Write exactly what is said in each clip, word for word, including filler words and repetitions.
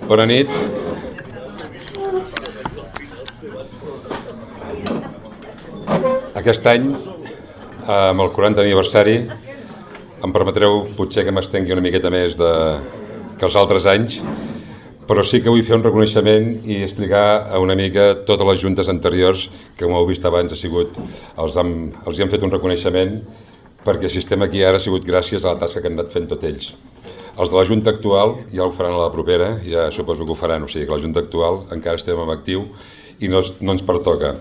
Bona nit. Aquest any, amb el quaranta aniversari, em permetreu potser que m'estengui una miqueta més de, que els altres anys, però sí que vull fer un reconeixement i explicar una mica totes les juntes anteriors que, com heu vist abans, ha sigut, els, han, els hi han fet un reconeixement, perquè si estem aquí ara ha sigut gràcies a la tasca que han anat fent tots ells. Els de la Junta actual ja ho faran a la propera, ja suposo que ho faran, o sigui que la Junta actual encara estem en actiu i no, no ens pertoca.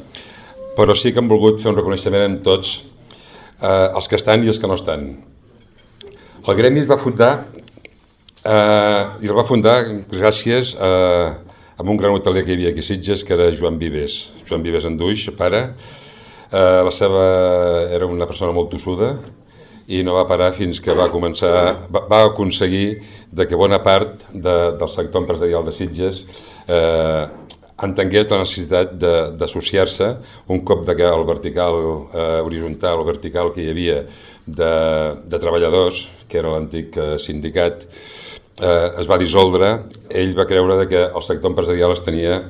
Però sí que hem volgut fer un reconeixement amb tots, eh, els que estan i els que no estan. El Gremi es va fundar, eh, i el va fundar gràcies a, a un gran hotelier que hi havia aquí a Sitges, que era Joan Vives. Joan Vives Anduix, pare. Eh, la seva era una persona molt tossuda, i no va parar fins que va començar, va, va aconseguir de que bona part de, del sector empresarial de Sitges eh, entengués la necessitat d'associar-se un cop de que el vertical eh, horitzontal o vertical que hi havia de, de treballadors, que era l'antic eh, sindicat, eh, es va dissoldre. Ell va creure de que el sector empresarial es tenia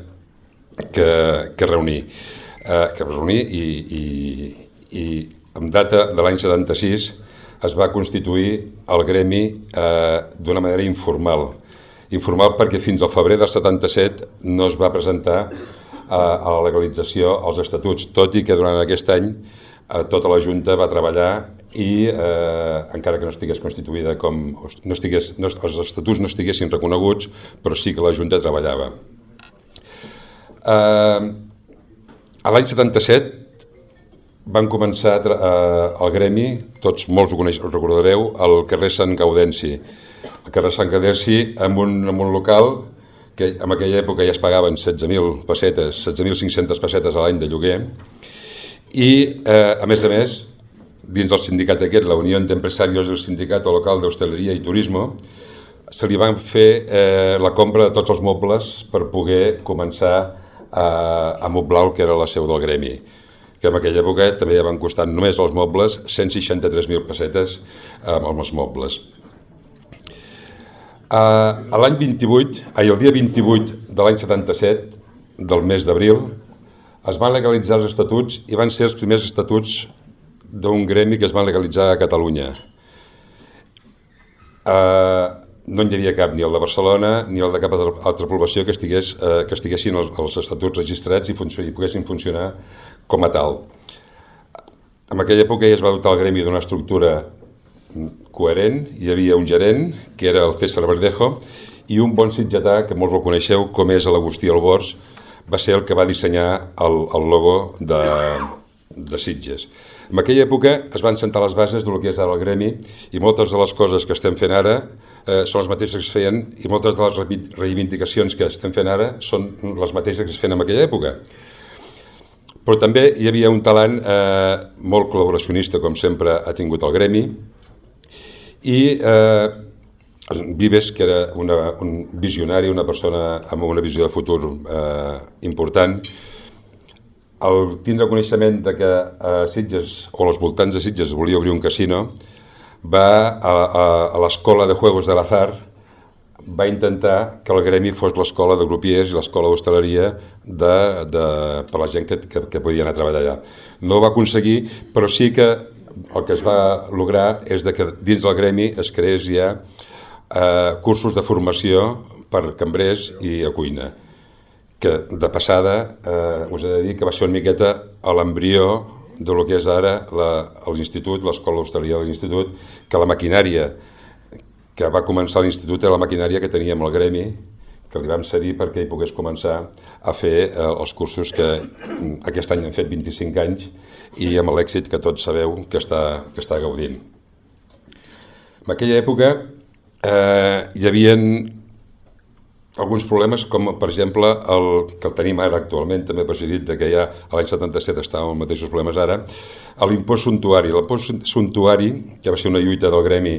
que, que reunir, eh, que reunir i, i, i en data de l'any setanta-sis es va constituir el Gremi eh, d'una manera informal. Informal perquè fins al febrer del setanta-set no es va presentar eh, a la legalització als estatuts, tot i que durant aquest any eh, tota la Junta va treballar i, eh, encara que no estigués constituïda com... No estigués, no, els estatuts no estiguessin reconeguts, però sí que la Junta treballava. Eh, a l'any setanta-set van començar eh, el Gremi, tots molts ho, coneix, ho recordareu, al carrer Sant Gaudenci. El carrer Sant Gaudenci amb un, amb un local que en aquella època ja es pagaven setze mil pessetes, setze mil cinc-centes pessetes a l'any de lloguer, i eh, a més a més, dins del sindicat aquest, la Unió d'Empresarios del Sindicato Local d'Hostaleria i Turismo, se li van fer eh, la compra de tots els mobles per poder començar a, a moblar el que era la seu del Gremi, que en aquella època també ja van costar només els mobles cent seixanta-tres mil pessetes amb els mobles. A l'any vint-i-vuit, ai, el dia vint-i-vuit de l'any setanta-set, del mes d'abril, es van legalitzar els estatuts i van ser els primers estatuts d'un gremi que es van legalitzar a Catalunya. No hi havia cap, ni el de Barcelona ni el de cap altra població que, estigués, que estiguessin els, els estatuts registrats i, i poguessin funcionar com a tal. En aquella època ja es va dotar el Gremi d'una estructura coherent, hi havia un gerent, que era el César Verdejo, i un bon sitgetà, que molts el coneixeu, com és l'Agustí Albors, va ser el que va dissenyar el, el logo de, de Sitges. En aquella època es van sentar les bases del que és ara el Gremi i moltes de les coses que estem fent ara eh, són les mateixes que es feien i moltes de les reivindicacions que estem fent ara són les mateixes que es feien en aquella època. Però també hi havia un talant eh, molt col·laboracionista, com sempre ha tingut el Gremi, i eh, Vives, que era una, un visionari, una persona amb una visió de futur eh, important, al tindre coneixement de que a Sitges, o als voltants de Sitges, volia obrir un casino, va a, a, a l'escola de Juegos de l'Azar, va intentar que el Gremi fos l'escola de grupiers i l'escola d'hostaleria de, de, per la gent que, que, que podia anar a treballar allà. No ho va aconseguir, però sí que el que es va lograr és de que dins del Gremi es creés ja eh, cursos de formació per cambrers i a cuina, que de passada eh, us he de dir que va ser una miqueta a l'embrió del que és ara l'institut, l'escola d'hostaleria de l'institut, que la maquinària que va començar l'institut era la maquinària que teníem al Gremi, que li vam cedir perquè hi pogués començar a fer eh, els cursos que aquest any han fet vint-i-cinc anys i amb l'èxit que tots sabeu que està, que està gaudint. En aquella època eh, hi havia alguns problemes, com per exemple el que el tenim ara actualment, també per ser dit que ja a l'any setanta-set estàvem amb els mateixos problemes ara, l'impost suntuari. L'impost suntuari, que va ser una lluita del Gremi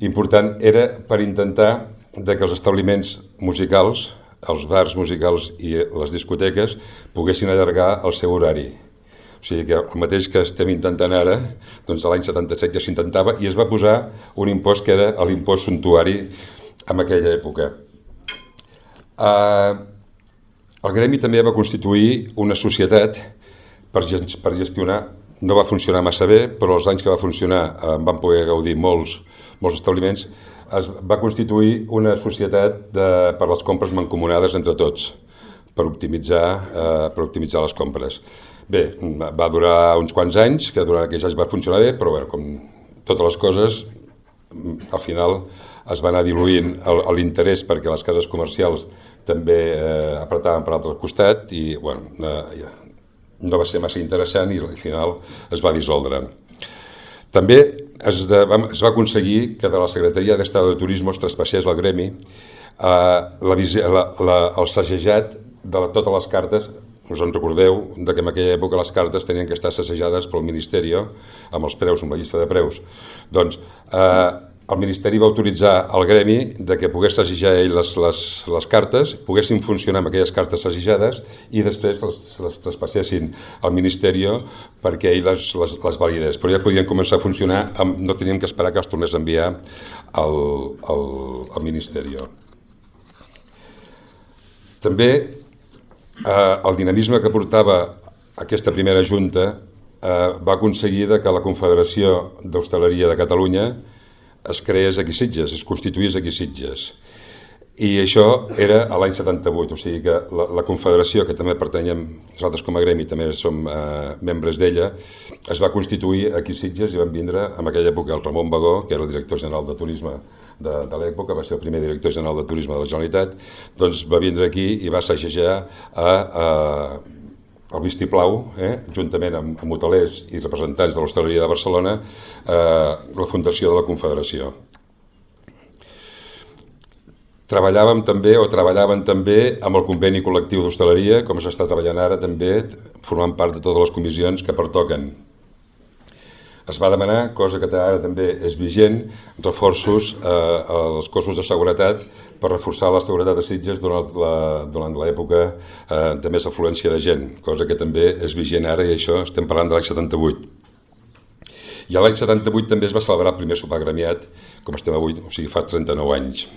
important, era per intentar de que els establiments musicals, els bars musicals i les discoteques poguessin allargar el seu horari. O sigui que el mateix que estem intentant ara, doncs l'any setanta-set ja s'intentava i es va posar un impost que era l'impost suntuari en aquella època. Eh, el gremi també va constituir una societat per, per gestionar, no va funcionar massa bé, però els anys que va funcionar eh, van poder gaudir molts, molts establiments, es va constituir una societat de, per les compres mancomunades entre tots, per optimitzar, eh, per optimitzar les compres. Bé, va durar uns quants anys, que durant aquells anys va funcionar bé, però bueno, com totes les coses, al final es va anar diluint l'interès perquè les cases comercials també eh, apretaven per l'altre costat i bueno, eh, no va ser massa interessant i al final es va dissoldre. També es, de, es va aconseguir que de la Secretaria d'Estado de Turismo es traspassés al gremi eh, la, la, la, el segejat de la, totes les cartes. Us en recordeu de que en aquella època les cartes tenien que estar assajades pel Ministeri amb els preus, amb la llista de preus. Doncs eh, el Ministeri va autoritzar al gremi de que pogués assajar ell les, les, les cartes, poguessin funcionar amb aquelles cartes assajades i després les, les traspassessin al Ministeri perquè ell les, les, les validés. Però ja podien començar a funcionar, amb, no tenien que esperar que els tornés a enviar al, al, al Ministeri. També Eh, el dinamisme que portava aquesta primera junta eh, va aconseguir que la Confederació d'Hostaleria de Catalunya es creés aquí a Sitges, es constituís aquí a Sitges. I això era a l'any setanta-vuit, o sigui que la, la Confederació, que també pertanyem, nosaltres com a gremi també som eh, membres d'ella, es va constituir aquí a Sitges i van vindre en aquella època el Ramon Bagó, que era el director general de turisme de, de l'època, va ser el primer director general de turisme de la Generalitat, doncs va vindre aquí i va assajar a, a el vistiplau, eh, juntament amb, amb hotelers i representants de l'hostaleria de Barcelona, eh, la fundació de la Confederació. Treballàvem també, o treballaven també, amb el conveni col·lectiu d'hostaleria, com s'està treballant ara també, formant part de totes les comissions que pertoquen. Es va demanar, cosa que ara també és vigent, reforços eh, als cossos de seguretat per reforçar la seguretat de Sitges durant la, durant l'època eh, de més afluència de gent, cosa que també és vigent ara i això estem parlant de l'any setanta-vuit. I a l'any setanta-vuit també es va celebrar el primer sopar gremiat, com estem avui, o sigui, fa trenta-nou anys.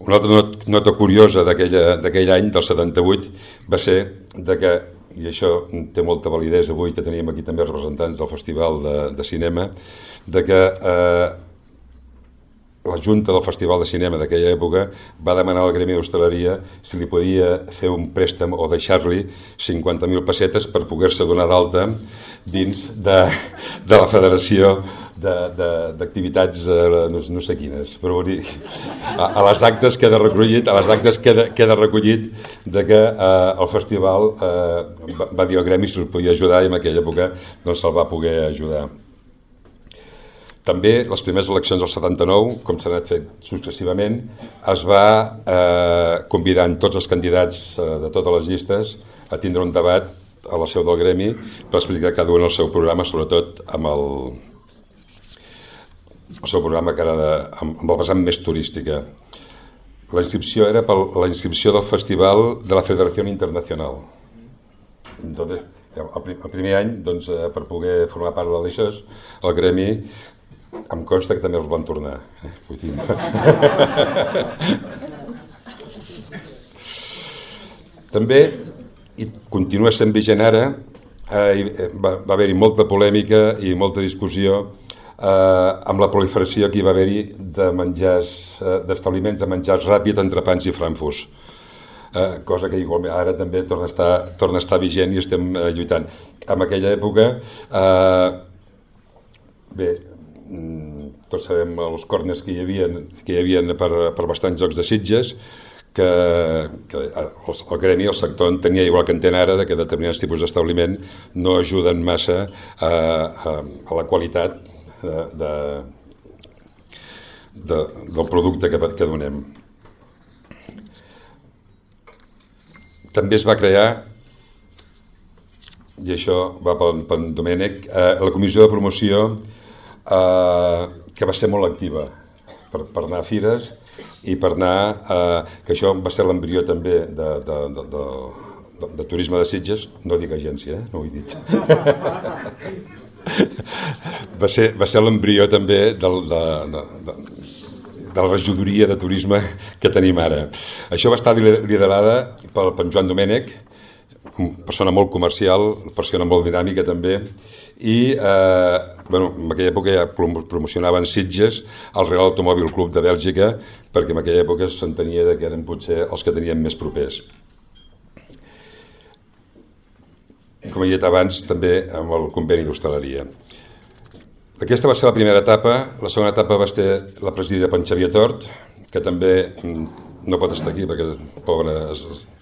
Una altra nota curiosa d'aquell any, del setanta-vuit, va ser de que, i això té molta validesa avui, que teníem aquí també representants del Festival de, de Cinema, de que eh, la Junta del Festival de Cinema d'aquella època va demanar al Gremi d'Hostaleria si li podia fer un préstec o deixar-li cinquanta mil pessetes per poder-se donar d'alta dins de, de la Federació d'activitats no, no sé quines, però dir, a, a les actes queda recollit, a les actes queda, queda recollit de que eh, el festival eh, va, va dir al gremi si el podia ajudar i en aquella època doncs se'l va poder ajudar. També les primeres eleccions del setanta-nou, com s'han anat fet successivament, es va eh, convidar tots els candidats eh, de totes les llistes a tindre un debat a la seu del gremi per explicar cada un el seu programa, sobretot amb el, el seu programa que era de, amb el vessant més turística. La inscripció era per la inscripció del Festival de la Federació Internacional. Entonces, el primer any, doncs, per poder formar part d'això, el gremi em consta que també els van tornar. Eh? Vull dir... També, i continua sent vigent ara, eh, va, va haver-hi molta polèmica i molta discussió eh, amb la proliferació que hi va haver-hi de menjars, eh, d'establiments de menjars ràpid, entrepans i frankfurts. Eh, cosa que igualment ara també torna a estar, torna a estar vigent i estem eh, lluitant. En aquella època, eh, bé, tots sabem els corners que hi havia, que hi havia per, per bastants jocs de Sitges, que, que el, el gremi, el sector, tenia igual que entén ara, de que determinats tipus d'establiment no ajuden massa a, a, a la qualitat de, de, de, del producte que, que donem. També es va crear, i això va pel, pel Domènec, eh, la comissió de promoció eh, que va ser molt activa per, per anar a fires i per anar, eh, que això va ser l'embrió també de, de, de, de, de, de turisme de Sitges, no dic agència, eh? No ho he dit. va ser, va ser l'embrió també del, de, de, de, de la regidoria de turisme que tenim ara. Això va estar liderada pel Joan Domènech, persona molt comercial, persona molt dinàmica també, i eh, bueno, en aquella època ja promocionaven Sitges al Real Automòbil Club de Bèlgica, perquè en aquella època s'entenia que eren potser els que tenien més propers. Com he dit abans, també amb el conveni d'hostaleria. Aquesta va ser la primera etapa. La segona etapa va ser la presidida per Xavier Tort, que també no pot estar aquí perquè el pobre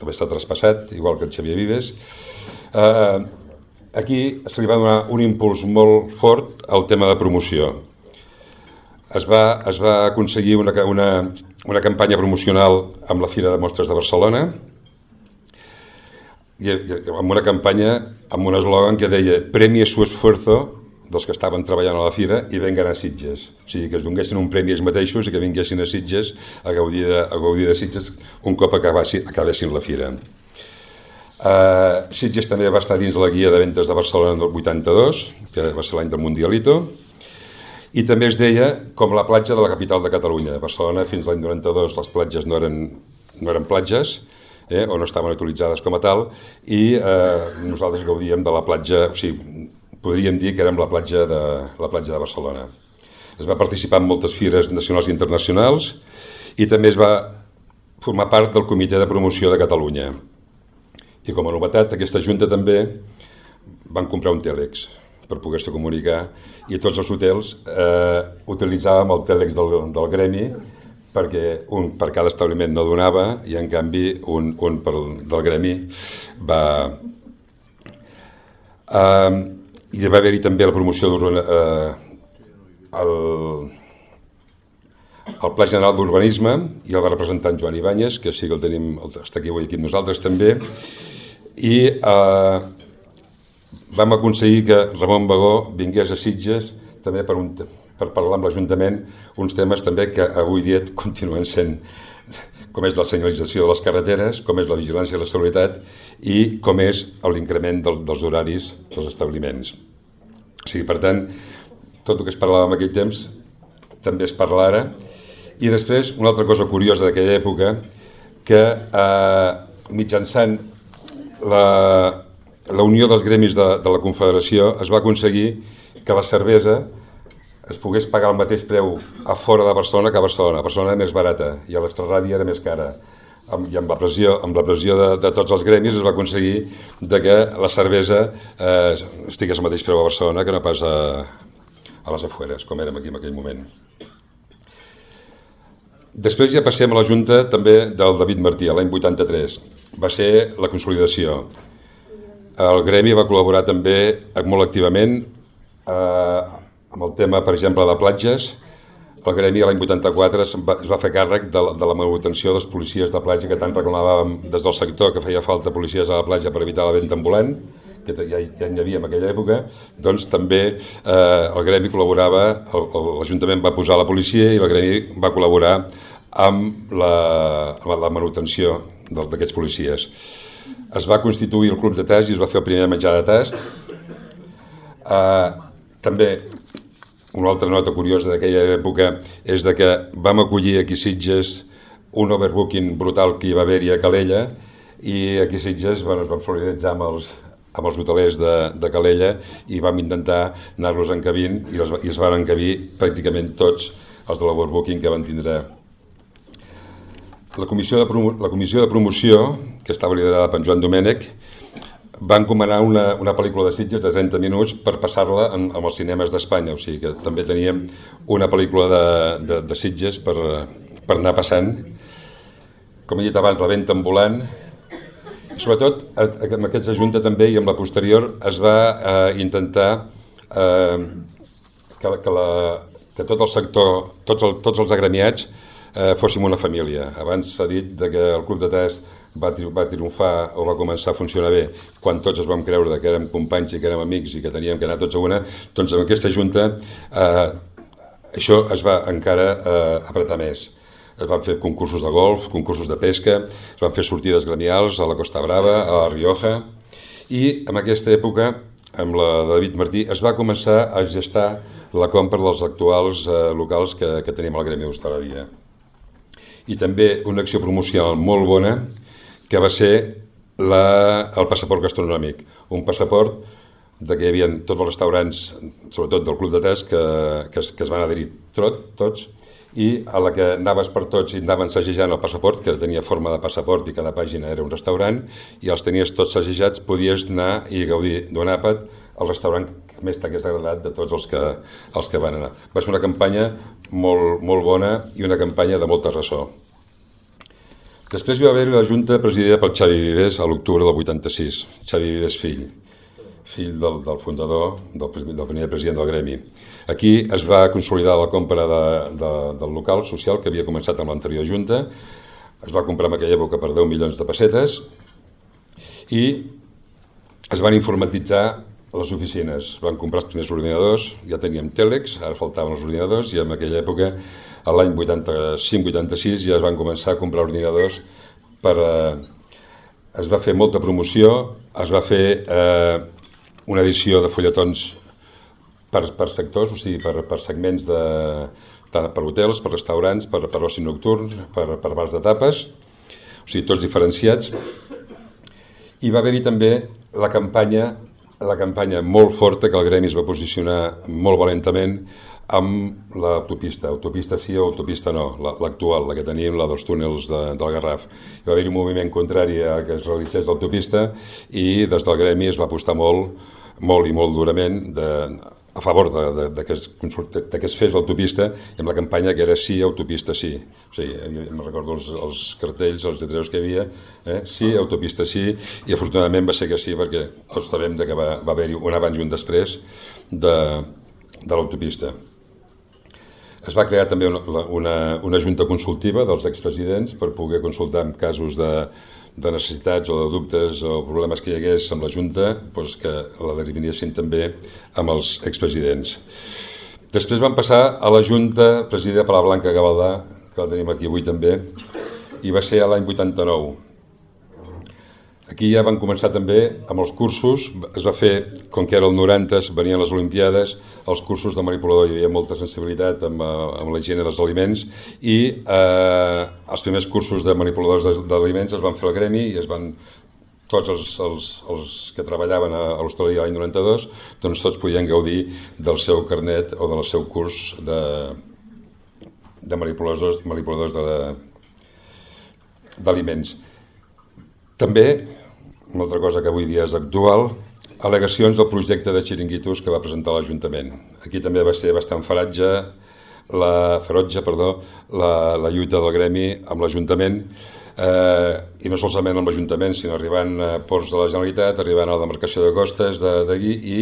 també està traspassat, igual que el Xavier Vives. Eh, aquí se li va donar un impuls molt fort al tema de promoció. Es va, es va aconseguir una, una, una campanya promocional amb la Fira de Mostres de Barcelona, i, i amb una campanya amb un eslògan que deia «Premie su esfuerzo» dels que estaven treballant a la Fira i vengan a Sitges. O sigui, que es donguessin un premi ells mateixos i que vinguessin a Sitges a gaudir de, a gaudir de Sitges un cop acabessin, acabessin la Fira. Uh, Sitges també va estar dins la guia de ventes de Barcelona del vuitanta-dos, que va ser l'any del Mundialito, i també es deia com la platja de la capital de Catalunya. A Barcelona fins l'any noranta-dos les platges no eren, no eren platges, eh, o no estaven utilitzades com a tal, i eh, nosaltres gaudíem de la platja, o sigui, podríem dir que érem la platja de, la platja de Barcelona. Es va participar en moltes fires nacionals i internacionals i també es va formar part del Comitè de Promoció de Catalunya. I com a novetat, aquesta junta també van comprar un tèlex per poder-se comunicar i tots els hotels eh, utilitzàvem el tèlex del, del gremi perquè un per cada establiment no donava i en canvi un, un per, del gremi va... Eh, i va haver-hi també la promoció eh, el, el Pla General d'Urbanisme i el va representar en Joan Ibáñez, que sí que el tenim, està aquí avui aquí amb nosaltres també, i eh, vam aconseguir que Ramon Bagó vingués a Sitges també per, un, per parlar amb l'Ajuntament uns temes també que avui dia continuen sent, com és la senyalització de les carreteres, com és la vigilància i la seguretat i com és l'increment del, dels horaris dels establiments. O sigui, per tant, tot el que es parlava en aquell temps també es parla ara. I després, una altra cosa curiosa d'aquella època, que eh, mitjançant la, la unió dels gremis de, de la Confederació es va aconseguir que la cervesa es pogués pagar el mateix preu a fora de Barcelona que a Barcelona. A Barcelona era més barata i a l'extraradi era més cara. I amb la pressió, amb la pressió de, de tots els gremis es va aconseguir de que la cervesa eh, estigués al mateix preu a Barcelona que no pas a, a les afueres, com érem aquí en aquell moment. Després ja passem a la Junta també del David Martí, l'any vuitanta-tres. Va ser la consolidació. El gremi va col·laborar també molt activament eh, amb el tema, per exemple, de platges. El gremi l'any vuitanta-quatre es va, es va fer càrrec de la, de la manutenció dels policies de platja que tant reclamàvem des del sector, que feia falta policies a la platja per evitar la venda ambulant, que ja, ja n'hi havia en aquella època. Doncs també eh, el gremi col·laborava, l'Ajuntament va posar la policia i el gremi va col·laborar amb la, amb la manutenció d'aquests policies. Es va constituir el club de tast i es va fer el primer menjar de tast. Eh, també una altra nota curiosa d'aquella època és de que vam acollir aquí a Sitges un overbooking brutal que hi va haver-hi a Calella i aquí a Sitges bueno, ens vam solidaritzar amb els, amb els hotelers de, de Calella i vam intentar anar-los encabint i, els, i es van encabir pràcticament tots els de l'overbooking que van tindre. La comissió, de promo, la comissió de promoció, que estava liderada per Joan Domènech, va encomanar una, una pel·lícula de Sitges de trenta minuts per passar-la en, en els cinemes d'Espanya, o sigui que també teníem una pel·lícula de, de, de Sitges per, per anar passant. Com he dit abans, la venda ambulant. I sobretot, amb aquesta junta també i amb la posterior es va eh, intentar eh, que, que, la, que tot el sector, tots, el, tots els agremiats eh, fóssim una família. Abans s'ha dit que el club de test va, tri va triomfar o va començar a funcionar bé quan tots es vam creure que érem companys i que érem amics i que teníem que anar tots a una, doncs amb aquesta junta eh, això es va encara eh, apretar més. Es van fer concursos de golf, concursos de pesca, es van fer sortides gremials a la Costa Brava, a la Rioja, i en aquesta època amb la de David Martí, es va començar a gestar la compra dels actuals eh, locals que, que tenim al Gremi d'Hostaleria. I també una acció promocional molt bona, que va ser la, el passaport gastronòmic. Un passaport de que hi havia tots els restaurants, sobretot del Club de Tes, que, que, es, que es van adherir tot, tots, i a la que anaves per tots i anaven segejant el passaport, que tenia forma de passaport i cada pàgina era un restaurant, i els tenies tots segejats, podies anar i gaudir d'un àpat al restaurant que més t'hagués agradat de tots els que, els que van anar. Va ser una campanya molt, molt bona i una campanya de molta ressò. Després hi va haver la Junta presidida pel Xavi Vives a l'octubre del vuitanta-sis, Xavi Vives fill, fill del, del fundador, del, del primer president del Gremi. Aquí es va consolidar la compra de, de, del local social que havia començat amb l'anterior Junta, es va comprar en aquella època per deu milions de pessetes i es van informatitzar les oficines, van comprar els primers ordinadors, ja teníem tèlex, ara faltaven els ordinadors i en aquella època, a l'any vuitanta-cinc vuitanta-sis, ja es van començar a comprar ordinadors per... Eh, es va fer molta promoció, es va fer eh, una edició de fulletons per, per sectors, o sigui, per, per segments de, tant per hotels, per restaurants, per, per oci nocturn, per, per bars de tapes, o sigui, tots diferenciats. I va haver-hi també la campanya, la campanya molt forta que el Gremi es va posicionar molt valentament amb l'autopista, autopista sí o autopista no, l'actual, la que tenim, la dels túnels de, del Garraf. Hi va haver un moviment contrari a que es realitzés l'autopista i des del Gremi es va apostar molt, molt i molt durament de, a favor de, de, de, que es, de que es fes l'autopista i amb la campanya que era sí, autopista sí. O sigui, em recordo els, els cartells, els lletreros que hi havia, eh? Sí, autopista sí, i afortunadament va ser que sí, perquè tots sabem que va, va haver-hi un abans i un després de, de l'autopista. Es va crear també una, una, una junta consultiva dels expresidents per poder consultar en casos de, de necessitats o de dubtes o problemes que hi hagués amb la junta, doncs que la derivinessin també amb els expresidents. Després van passar a la junta presidida per la Blanca Gavaldà, que la tenim aquí avui també, i va ser l'any vuitanta-nou. Aquí ja van començar també amb els cursos, es va fer, com que era el noranta, venien les Olimpiades, els cursos de manipulador, hi havia molta sensibilitat amb, amb la higiene dels aliments i eh, els primers cursos de manipuladors d'aliments es van fer al Gremi i es van, tots els, els, els que treballaven a, a l'hostaleria l'any noranta-dos, doncs tots podien gaudir del seu carnet o del seu curs de, de manipuladors, manipuladors d'aliments. També, una altra cosa que avui dia és actual, al·legacions del projecte de xiringuitos que va presentar l'Ajuntament. Aquí també va ser bastant feratge, la, ferotge perdó, la, la lluita del Gremi amb l'Ajuntament, eh, i no solament amb l'Ajuntament, sinó arribant a ports de la Generalitat, arribant a la demarcació de costes d'allí i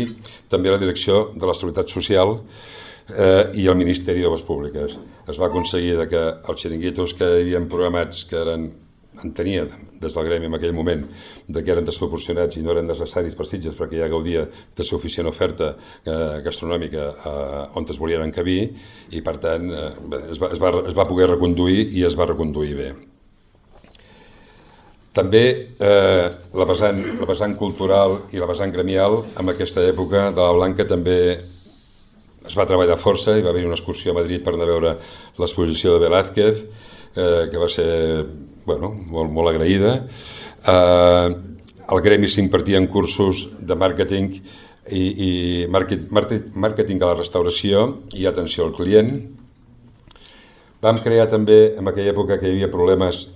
també a la direcció de la Seguretat Social eh, i el Ministeri d'Obres Públiques. Es va aconseguir que els xiringuitos que hi havia programats, que eren en tenia des del Gremi en aquell moment de que eren desproporcionats i no eren necessaris per Sitges perquè ja gaudia de suficient oferta eh, gastronòmica eh, on es volien encabir i per tant eh, es, va, es, va, es va poder reconduir i es va reconduir bé. També eh, la, vessant, la vessant cultural i la vessant gremial en aquesta època de la Blanca també es va treballar força, hi va haver una excursió a Madrid per anar a veure l'exposició de Velázquez, eh, que va ser bueno, molt, molt agraïda. Eh, al Gremi s'impartien cursos de màrqueting i, i màrqueting a la restauració i atenció al client. Vam crear també, en aquella època que hi havia problemes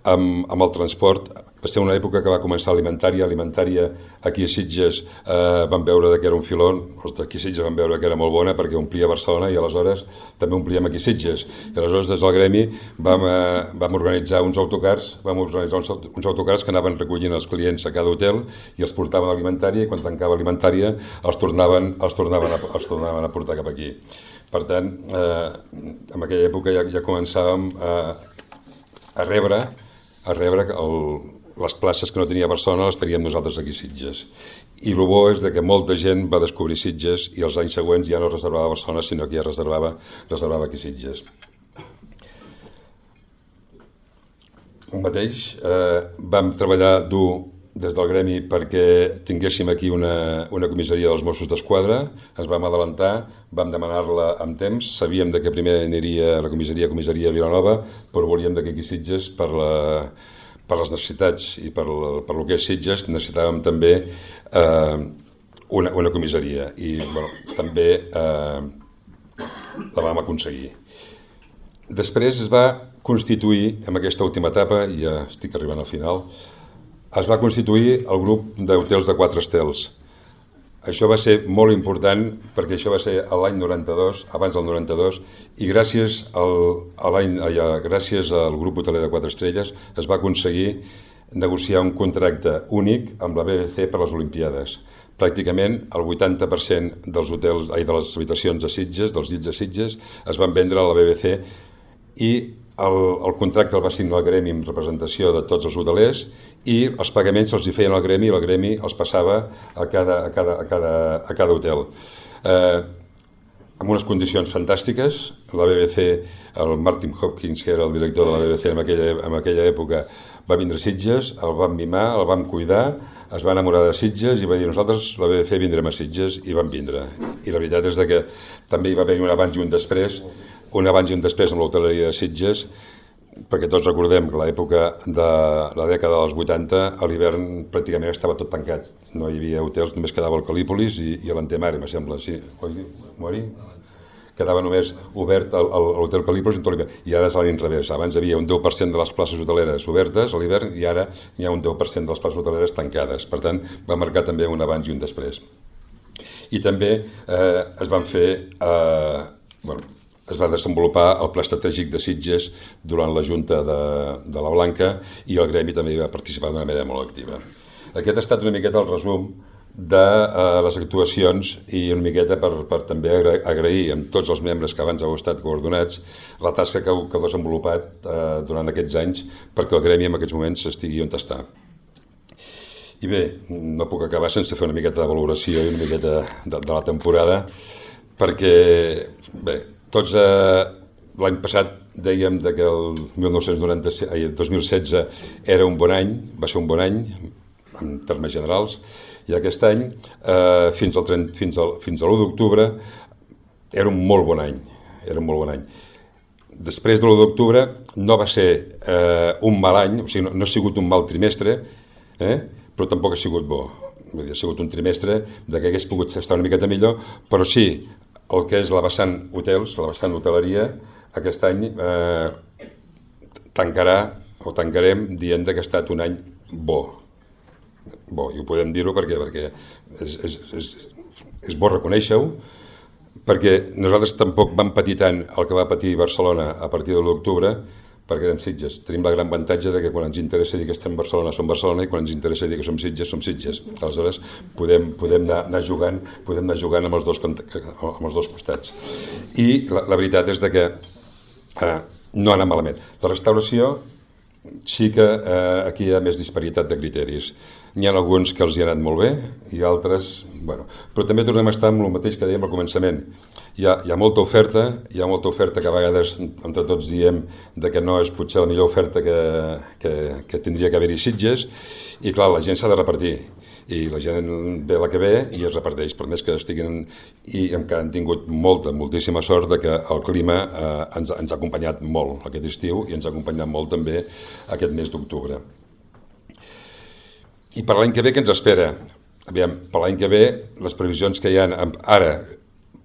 amb, amb el transport, va ser una època que va començar alimentària, alimentària aquí a Sitges eh, van veure que era un filó, els d'aquí a Sitges van veure que era molt bona perquè omplia Barcelona i aleshores també omplíem aquí a Sitges. I aleshores des del Gremi vam, eh, vam organitzar uns autocars, vam organitzar uns, uns autocars que anaven recollint els clients a cada hotel i els portaven a alimentària i quan tancava alimentària els tornaven, els tornaven, a, els tornaven a portar cap aquí. Per tant, eh, en aquella època ja, ja començàvem a, a rebre a rebre el, les places que no tenia Barcelona les teníem nosaltres aquí a Sitges. I el bo és que molta gent va descobrir Sitges i els anys següents ja no reservava a Barcelona, sinó que ja reservava, reservava aquí a Sitges. El mateix, eh, vam treballar dur des del gremi perquè tinguéssim aquí una, una comissaria dels Mossos d'Esquadra, ens vam adelantar, vam demanar-la amb temps, sabíem de que primer aniria la comissaria a comissaria de Vilanova, però volíem que aquí a Sitges, per, la, per les necessitats i per, per el que és Sitges, necessitàvem també eh, una, una comissaria i bueno, també eh, la vam aconseguir. Després es va constituir, en aquesta última etapa, i ja estic arribant al final, es va constituir el grup d'hotels de quatre estels. Això va ser molt important perquè això va ser l'any noranta-dos, abans del noranta-dos, i gràcies al, a l'any, gràcies al grup hoteler de quatre estrelles es va aconseguir negociar un contracte únic amb la B B C per les Olimpiades. Pràcticament el vuitanta per cent dels hotels, ai, de les habitacions a Sitges, dels llits a Sitges, es van vendre a la B B C i el, el contracte el va signar el gremi amb representació de tots els hotelers i els pagaments els hi feien al gremi i el gremi els passava a cada, a cada, a cada, a cada hotel. Eh, amb unes condicions fantàstiques, la B B C, el Martin Hopkins, que era el director de la B B C en aquella, en aquella època, va vindre a Sitges, el vam mimar, el vam cuidar, es va enamorar de Sitges i va dir nosaltres, la B B C, vindrem a Sitges, i van vindre. I la veritat és que també hi va haver un abans i un després, un abans i un després amb l'hoteleria de Sitges, perquè tots recordem que l'època de la dècada dels vuitanta, a l'hivern pràcticament estava tot tancat. No hi havia hotels, només quedava el Calípolis i, i l'Antemare, me sembla. Sí, Mori? Quedava només obert l'hotel Calípolis en tot l'hivern. I ara és a l'inrevés. Abans hi havia un deu per cent de les places hoteleres obertes a l'hivern i ara hi ha un deu per cent de les places hoteleres tancades. Per tant, va marcar també un abans i un després. I també eh, es van fer... Eh, bueno, es va desenvolupar el Pla Estratègic de Sitges durant la Junta de, de la Blanca i el gremi també hi va participar d'una manera molt activa. Aquest ha estat una miqueta el resum de uh, les actuacions i una miqueta per, per també agrair amb tots els membres que abans heu estat coordinats la tasca que heu, que heu desenvolupat uh, durant aquests anys perquè el gremi en aquests moments estigui on està. I bé, no puc acabar sense fer una miqueta de valoració i una miqueta de, de la temporada perquè, bé, tots eh, l'any passat dèiem que el mil nou-cents noranta-set, ai, el dos mil setze era un bon any, va ser un bon any en termes generals, i aquest any eh, fins al, fins al, fins a l'u d'octubre era un molt bon any, era un molt bon any. Després de l'u d'octubre no va ser eh, un mal any, o sigui, no, no ha sigut un mal trimestre, eh, però tampoc ha sigut bo. Vull dir, ha sigut un trimestre de que hagués pogut estar una miqueta millor, però sí, el que és la vessant hotels, la vessant hoteleria, aquest any eh, tancarà o tancarem dient que ha estat un any bo. Bo, i ho podem dir-ho perquè, perquè és, és, és, és bo reconèixer-ho, perquè nosaltres tampoc vam patir tant el que va patir Barcelona a partir de l'octubre, perquè érem Sitges. Tenim la gran avantatge de que quan ens interessa dir que estem a Barcelona som Barcelona i quan ens interessa dir que som Sitges som Sitges. Aleshores podem, podem anar, anar jugant podem anar jugant amb els dos, amb els dos costats. I la, la veritat és de que eh, no ha anat malament. La restauració sí que eh, aquí hi ha més disparitat de criteris. N'hi ha alguns que els hi ha anat molt bé i altres, bueno, però també tornem a estar amb el mateix que dèiem al començament. Hi ha, hi ha molta oferta, hi ha molta oferta que a vegades entre tots diem de que no és potser la millor oferta que, que, que tindria que haver-hi Sitges i clar, la gent s'ha de repartir i la gent ve la que ve i es reparteix, per més que estiguin i encara han tingut molta, moltíssima sort de que el clima eh, ens, ens ha acompanyat molt aquest estiu i ens ha acompanyat molt també aquest mes d'octubre. I per l'any que ve, què ens espera? Aviam, per l'any que ve, les previsions que hi ha ara,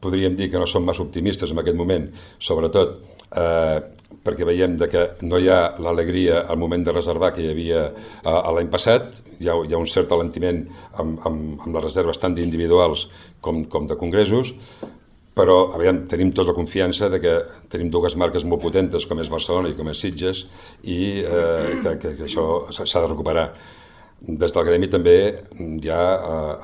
podríem dir que no són massa optimistes en aquest moment, sobretot eh, perquè veiem de que no hi ha l'alegria al moment de reservar que hi havia eh, l'any passat, hi ha, hi ha un cert alentiment amb, amb, amb les reserves tant d'individuals com, com de congressos, però aviam, tenim tots la confiança de que tenim dues marques molt potentes com és Barcelona i com és Sitges i eh, que, que, que això s'ha de recuperar. Des del gremi també ja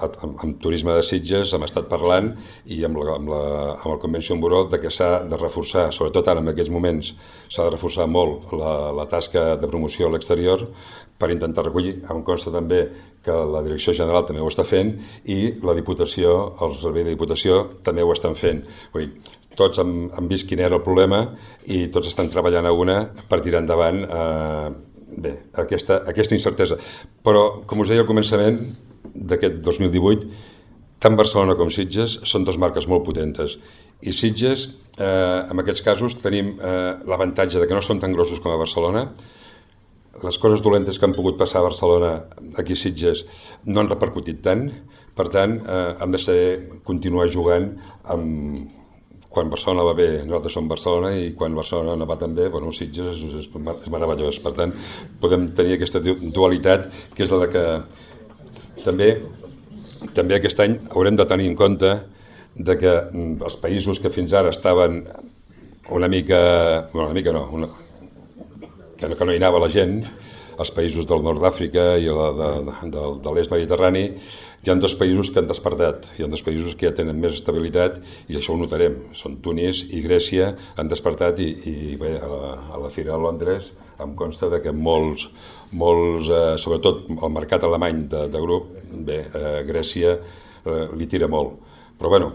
amb, amb Turisme de Sitges hem estat parlant i amb, la, amb, la, amb el Convention Bureau de que s'ha de reforçar, sobretot ara en aquests moments, s'ha de reforçar molt la, la tasca de promoció a l'exterior per intentar recollir. Em consta també que la Direcció General també ho està fent i la Diputació, el Servei de Diputació també ho estan fent. Vull dir, tots hem, hem vist quin era el problema i tots estan treballant a una per tirar endavant eh, bé, aquesta, aquesta incertesa. Però, com us deia al començament d'aquest dos mil divuit, tant Barcelona com Sitges són dues marques molt potentes. I Sitges, eh, en aquests casos, tenim eh, l'avantatge de que no són tan grossos com a Barcelona. Les coses dolentes que han pogut passar a Barcelona, aquí a Sitges, no han repercutit tant. Per tant, eh, hem de saber continuar jugant amb... Quan Barcelona va bé, nosaltres som Barcelona, i quan Barcelona no va tan bé, bueno, Sitges és, és, és meravellós. Per tant, podem tenir aquesta dualitat, que és la de que també, també aquest any haurem de tenir en compte de que els països que fins ara estaven una mica... Bueno, una mica no, una, que no, que no hi anava la gent, els països del nord d'Àfrica i la de, de, de l'est mediterrani, hi ha dos països que han despertat, hi ha dos països que ja tenen més estabilitat, i això ho notarem. Són Tunis i Grècia, han despertat, i, i bé, a la, a la Fira de Londres em consta de que molts, molts eh, sobretot el mercat alemany de, de grup, bé, eh, Grècia eh, li tira molt. Però bueno,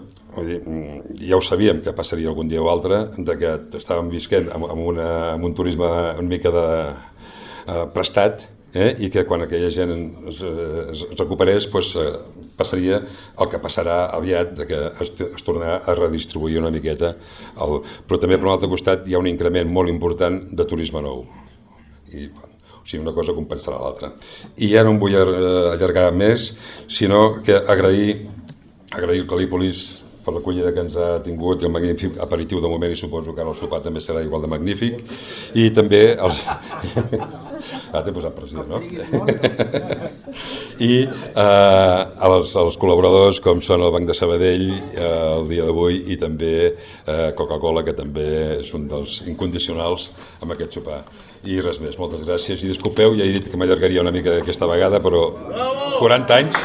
ja ho sabíem que passaria algun dia o altre, de que estàvem visquent amb, amb, una, amb un turisme una mica de, eh, prestat, eh, i que quan aquella gent es, es recuperés, pues, eh, passaria el que passarà aviat, de que es, es tornarà a redistribuir una miqueta. El, però també per un altre costat hi ha un increment molt important de turisme nou. I, bueno, o sigui, una cosa compensarà l'altra. I ja no em vull allargar més, sinó que agrair agrair al Cal·lípolis per l'acollida que ens ha tingut i el magnífic aperitiu de moment, i suposo que ara el sopar també serà igual de magnífic, i també els... Ah, t'he posat pressió, no? I eh, els, els col·laboradors com són el Banc de Sabadell eh, el dia d'avui, i també eh, Coca-Cola, que també és un dels incondicionals amb aquest sopar. I res més, moltes gràcies, i disculpeu, ja he dit que m'allargaria una mica aquesta vegada, però quaranta anys...